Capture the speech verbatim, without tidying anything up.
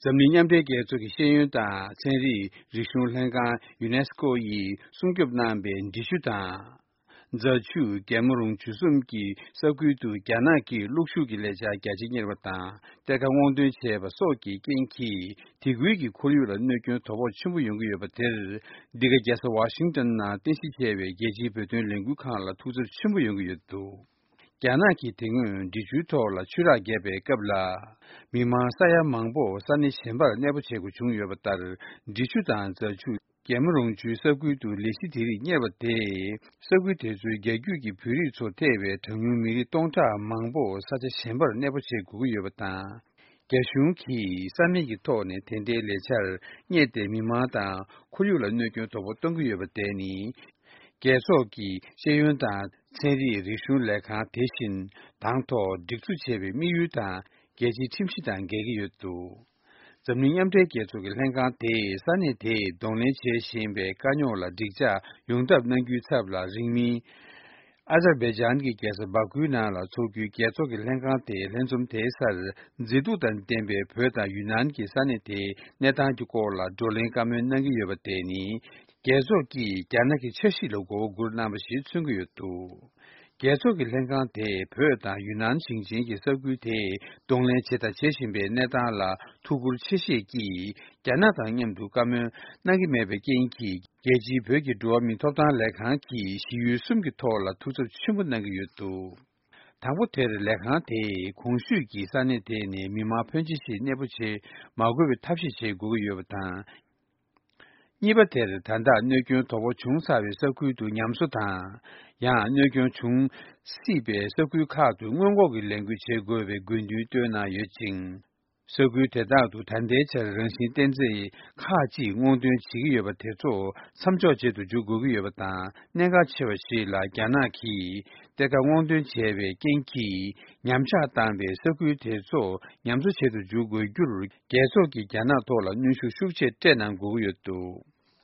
འཛམ་གླིང་མཉམ་འབྲེལ་རྒྱལ་ཚོགས་ཀྱི་ཤེས་ཡོན་དང་ཚན་རིག་རིག་གཞུང་ལྷན་ཁང་ཡུ་ནེ་སི་ཀོ་ཡིས་སྲུང་སྐྱོབ་གནང་པའི་འབྲི་ཆུ་དང་། རྫ་ཆུ། རྒྱལ་མོ་རོང་ཆུ་གསུམ་གྱི་ས་ཁུལ་དུ་རྒྱ་ནག་གིས་གློག་ཤུགས་ཀྱི་ལས་འཆར་རྒྱ་ཆེ་གཉེར་བ་དང་གཏེར་ཁ་སྔོག་འདོན་བྱས་པ་སོགས་ཀྱི་རྐྱེན་གྱིས་དེ་ཁུལ་གྱི་ཁོར་ཡུག་ལ་གནོད་སྐྱོན་དོ་ཕོག་ཆེན་པོ་ཡོང་གི་ཡོད་པ་དེར། འདི་ག་རྒྱལ་ས་ཝ་ཤིང་ཏོན་ནང་རྟེན་གཞི་བྱས་པའི་རྒྱལ་སྤྱིའི་བོད་དོན་ལས་འགུལ་ཁང་ལ་ཐུགས་འཚབ་ཆེན་པོ་ཡོང་གི་ཡོད་འདུག་རྒྱ་ནག་གིས་དེ་སྔོན་འབྲི་ཆུའི་ཐོག་ལ་ཆུ་རགས་བརྒྱབ་པའི་སྐབས་ལ། མི་མང་ས་ཡ་མང་པོ་ས་གནས་གཞན་པར་གནས་སྤོ་བྱེད་དགོས་བྱུང་ཡོད་པ་ལྟར། འབྲི་ཆུ་དང་རྫ་ཆུ། རྒྱལ་མོ་རོང་ཆུའི་ས་ཁུལ་དུ་ལས་གཞི་དེ་རིགས་གཉེར་བ་དེས། ས་ཁུལ་དེ་ཚོའི་རྒྱ་རྒྱུད་ཀྱི་བོད་རིགས་ཚོ་ཐེ་བའི་གྲངས་ཉུང་མི་རིགས་སྟོང་ཕྲག་མང་པོ་ས་ཆ་གཞན་པར་གནས་སྤོ་བྱེད་དགོས་ཀྱི་ཡོད་པ་དང་། རྒྱ་གཞུང་གིས་ས་མིང་གི་ཐོག་ནས་དེ་འདྲའི་ལས་འཆར་གཉེར་ཏེ། མི་མང་དང་ཁོར་ཡུག་ལ་གནོད་སྐྱོན་དོ་ཕོག་གཏོང་གི་ཡོད་པ་དེ་ནི། རྒྱལ་ཚོགས་ཀྱི་ཤེས་ཡོན་དང་ཚན་རིག་རིག་གཞུང་ལས་ཁང་དེ་བཞིན་དང་ཐོག་སྒྲིག་འཛུགས་བྱས་པའི་དམིགས་ཡུལ་དང་རྒྱལ་སྤྱིའི་ཁྲིམས་གཞི་དང་འགལ་གྱི་ཡོད་འདུག་འཛམ་གླིང་མཉམ་འབྲེལ་རྒྱལ་ཚོགས་ཀྱི་ལྷན་ཁང་དེས་ས་གནས་དེས་གདོང་ལེན་བྱེད་བཞིན་པའི་དཀའ་རྙོག་ལ་འགྲིག་འཇགས་ཡོང་ཐབས་གནང་རྒྱུའི་ཚབ་ལ། རིང་མིན། ཨ་ཛར་བྷེ་ཇཱན་གྱི་རྒྱལ་ས་བྷ་ཁུའི་ནང་ལ་འཚོགས་རྒྱུའི་རྒྱལ་ཚོགས་ཀྱི་ལྷན་ཁང་དེའི་ལྷན་འཛོམས་དེའི་སར། མཛེས་སྡུག་དང་ལྡན་པའི་བོད་དང་ཡུན་ནན་གྱི་ས་གནས་དེའི་གནས་སྟངས་ཀྱི་སྐོར་ལ་བགྲོ་གླེང་བཀའ་མོལ་གནང་གི་ཡོད་པ་དེ་ནི། རྒྱལ་ཚོགས་ཀྱིས་རྒྱ་ནག་གི་འཆར་གཞི་ལ་མགོ་བོ་སྒུར་གནང་བ་ཞིག་མཚོན་གྱི་ཡོད་འདུག་རྒྱལ་ཚོགས་ཀྱི་ལྷན་ཁང་དེས་བོད་དང་ཡུན་ནན་ཞིང་ཆེན་གྱི་ས་ཁུལ་དེས་གདོང་ལེན་བྱས་དང་བྱེད་བཞིན་པའི་གནས་སྟངས་ལ་ཐུགས་ཁུར་ཆེ་བཞེས་ཀྱིས། རྒྱ་ནག་དང་མཉམ་དུ་བཀའ་མོལ་གནང་གི་མེད་པའི་རྐྱེན་གྱིས། རྒྱལ་སྤྱིའི་བོད་ཀྱི་འགྲོ་བ་མིའི་ཐོབ་ཐང་ལས་ཁང་གིས་གཞི་ཡུལ་གསུམ་གྱི་ཐོག་ལ་ཐུགས་འཚབ་ཆེན་པོ་གནང་གི་ཡོད་འདུག་དང་པོ་དེར་ལས་ཁང་དེས་གོང་ཞུས་ཀྱི་ས་གནས་དེ་ནས་མི་མང་ཕོན་ཆེ་ཞིག་གནས་སྤོ་བྱེད་མ་དགོས་པའི་ཐབས་ཤེས་བྱེད་དགོས་ཀྱི་ཡོད་པ་དང་། གཉིས་པ་དེར་ད་ལྟ་གནོད་སྐྱོན་དོ་ཕོག་བྱུང་ཚར་བའི་ས་ཁུལ་དུ་ཉམས་གསོ་དང་། ཡང་གནོད་སྐྱོན་བྱུང་སྲིད་པའི་ས་ཁུལ་ཁག་ཏུ་སྔོན་འགོག་གི་ལས་འགུལ་བྱེད་དགོས་པའི་དགོས་འདུན་བཏོན་གནང་ཡོད་ཅིང་། ས་ཁུལ་དེ་དག་ཏུ་ད་ལྟའི་ཆར་རང་བཞིན་བསྟན་རྩིས་ཁག་ཅིག་སྔོག་འདོན་བྱེད་ཀྱི་ཡོད་པ་དེ་ཚོ་མཚམས་འཇོག་བྱེད་དུ་འཇུག་དགོས་ཀྱི་ཡོད་པ་དང་། གནད་འགག་ཆེ་བ་ཞིག་ལ་རྒྱ་ནག་གིས་གཏེར་ཁ་སྔོག་འདོན་བྱས་པའི་རྐྱེན་གྱིས་ཉམས་ཆག་བཏང་བའི་ས་ཁུལ་དེ་ཚོ་ཉམས་གསོ་བྱེད་དུ་འཇུག་དགོས་རྒྱུར། རྒྱལ་ཚོགས་ཀྱིས་རྒྱ་ནག་ཐོག་ལ་གནོན་ཤུགས་ཤུགས་ཆེ་སྤྲད་གནང་དགོས་ཀྱི་ཡོད་འདུག